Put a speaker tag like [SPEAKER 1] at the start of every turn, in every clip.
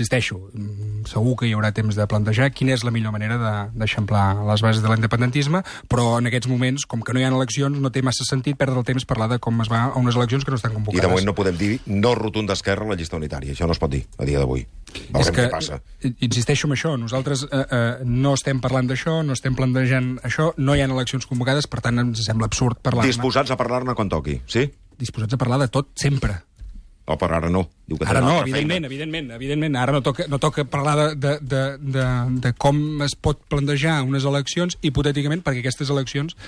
[SPEAKER 1] insisteixo, segur que hi haurà temps de plantejar quina és la millor manera d'eixamplar les bases de l'independentisme, però en aquests moments, com que no hi ha eleccions, no té massa sentit perdre el temps parlar de com es va a unes eleccions que no estan convocades.
[SPEAKER 2] I de moment no podem dir no rotund d'esquerra a la llista unitària. Això no es pot dir a dia d'avui. Veurem què passa.
[SPEAKER 1] Insisteixo en això, nosaltres no estem parlant d'això, no estem plantejant això, no hi ha eleccions convocades, per tant ens sembla absurd parlar-ne.
[SPEAKER 2] Disposats a parlar-ne quan toqui, sí?
[SPEAKER 1] Disposats a parlar de tot, sempre.
[SPEAKER 2] O per ara no. Diu que
[SPEAKER 1] ara no, evidentment. Ara no toca parlar de com es pot plantejar unes eleccions, hipotèticament, perquè aquestes eleccions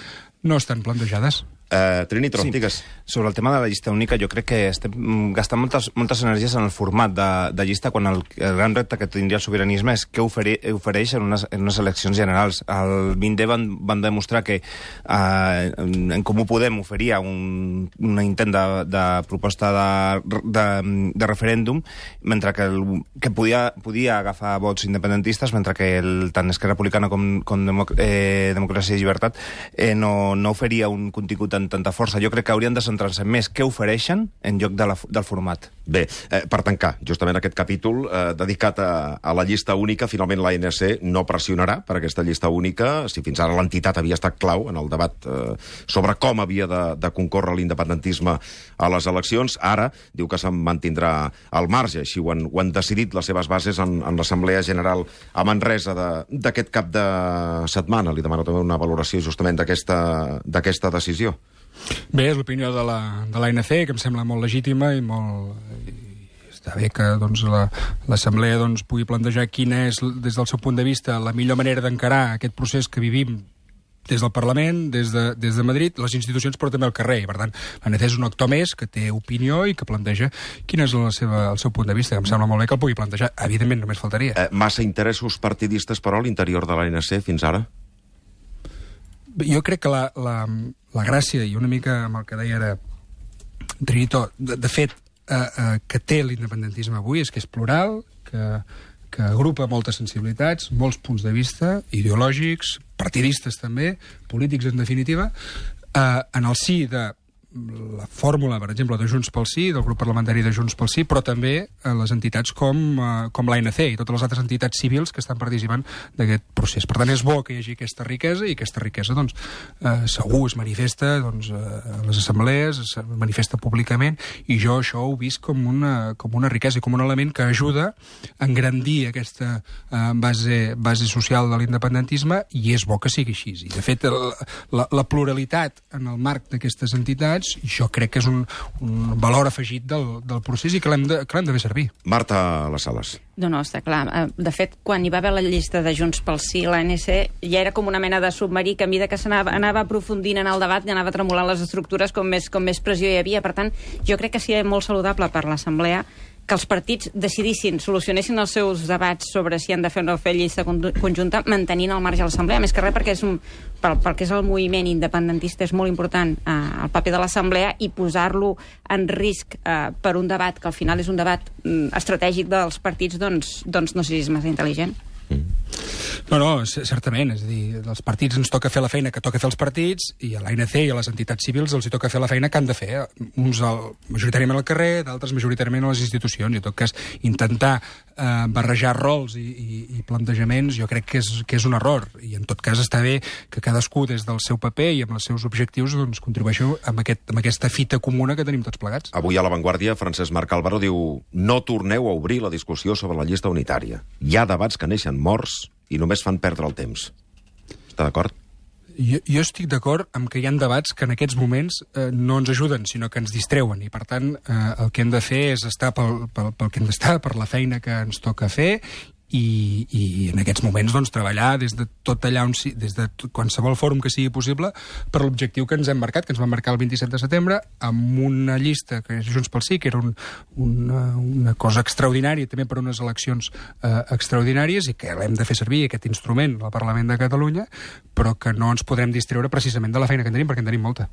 [SPEAKER 1] no estan plantejades.
[SPEAKER 2] Trinitron, digues.
[SPEAKER 3] Sobre el tema de la llista única, jo crec que estem gastant moltes energies en el format de llista, quan el gran repte que tindria el sobiranisme és què ofereix en unes eleccions generals. El 20D van demostrar que en Comú Podem oferia un intent de proposta de referèndum, mentre que podia agafar vots independentistes, mentre que tant Esquerra Republicana com Democràcia i Llibertat no oferia un contingut amb tanta força. Jo crec que haurien de centrar-se més què ofereixen en lloc del format.
[SPEAKER 2] Bé, per tancar justament aquest capítol dedicat a la llista única, finalment l'ANC no pressionarà per aquesta llista única, si fins ara l'entitat havia estat clau en el debat sobre com havia de concórrer l'independentisme a les eleccions. Ara diu que se'n mantindrà al marge, així ho han decidit les seves bases en l'Assemblea General a Manresa d'aquest cap de setmana. Li demano també una valoració justament d'aquesta decisió.
[SPEAKER 1] Bé, és l'opinió de l'ANC, que em sembla molt legítima i està bé que l'Assemblea pugui plantejar quina és, des del seu punt de vista, la millor manera d'encarar aquest procés que vivim des del Parlament, des de Madrid, les institucions, però també al carrer. I, per tant, l'ANC és un actor més que té opinió i que planteja quin és el seu punt de vista, que em sembla molt bé que el pugui plantejar. Evidentment, només faltaria.
[SPEAKER 2] Massa interessos partidistes, però, a l'interior de l'ANC fins ara?
[SPEAKER 1] Jo crec que la gràcia, i una mica amb el que deia ara Trinitó, de fet, que té l'independentisme avui és que és plural, que agrupa moltes sensibilitats, molts punts de vista, ideològics, partidistes també, polítics en definitiva, en el si de la fórmula, per exemple, de Junts pel Sí, del grup parlamentari de Junts pel Sí, però també les entitats com l'ANC i totes les altres entitats civils que estan participant d'aquest procés. Per tant, és bo que hi hagi aquesta riquesa i aquesta riquesa, segur es manifesta a les assemblees, es manifesta públicament, i jo això ho he vist com una riquesa i com un element que ajuda a engrandir aquesta base social de l'independentisme, i és bo que sigui així. I, de fet, la pluralitat en el marc d'aquestes entitats jo crec que és un valor afegit del procés i que l'hem de fer servir.
[SPEAKER 2] Marta Les Sales.
[SPEAKER 4] No, està clar. De fet, quan hi va haver la llista de Junts pel Sí, l'ANC ja era com una mena de submarí que a mesura que anava aprofundint en el debat i anava tremolant les estructures com més pressió hi havia. Per tant, jo crec que seria molt saludable per l'Assemblea que els partits decidissin, solucionessin els seus debats sobre si han de fer o no fer llista conjunta, mantenint al marge de l'Assemblea. Més que res perquè pel que és el moviment independentista és molt important el paper de l'Assemblea, i posar-lo en risc per un debat que al final és un debat estratègic dels partits, doncs no sé si és massa intel·ligent.
[SPEAKER 1] No, certament. És a dir, als partits ens toca fer la feina que toca fer els partits, i a l'ANC i a les entitats civils els hi toca fer la feina que han de fer. Uns majoritàriament al carrer, d'altres majoritàriament a les institucions. I en tot cas, intentar barrejar rols i plantejaments jo crec que és un error. I en tot cas està bé que cadascú des del seu paper i amb els seus objectius contribueixi amb aquesta fita comuna que tenim tots plegats.
[SPEAKER 2] Avui a La Vanguardia, Francesc Marc Álvaro diu: no torneu a obrir la discussió sobre la llista unitària. Hi ha debats que neixen morts i només fan perdre el temps. Està d'acord?
[SPEAKER 1] Jo estic d'acord amb que hi ha debats que en aquests moments no ens ajuden, sinó que ens distreuen, i per tant el que hem de fer és estar pel que hem d'estar, per la feina que ens toca fer, i en aquests moments treballar des de tot allà des de qualsevol fòrum que sigui possible per l'objectiu que ens hem marcat, que ens vam marcar el 27 de setembre, amb una llista que és Junts pel Sí, que era una cosa extraordinària també per unes eleccions extraordinàries, i que l'hem de fer servir, aquest instrument al Parlament de Catalunya, però que no ens podrem distreure precisament de la feina que en tenim, perquè en tenim molta.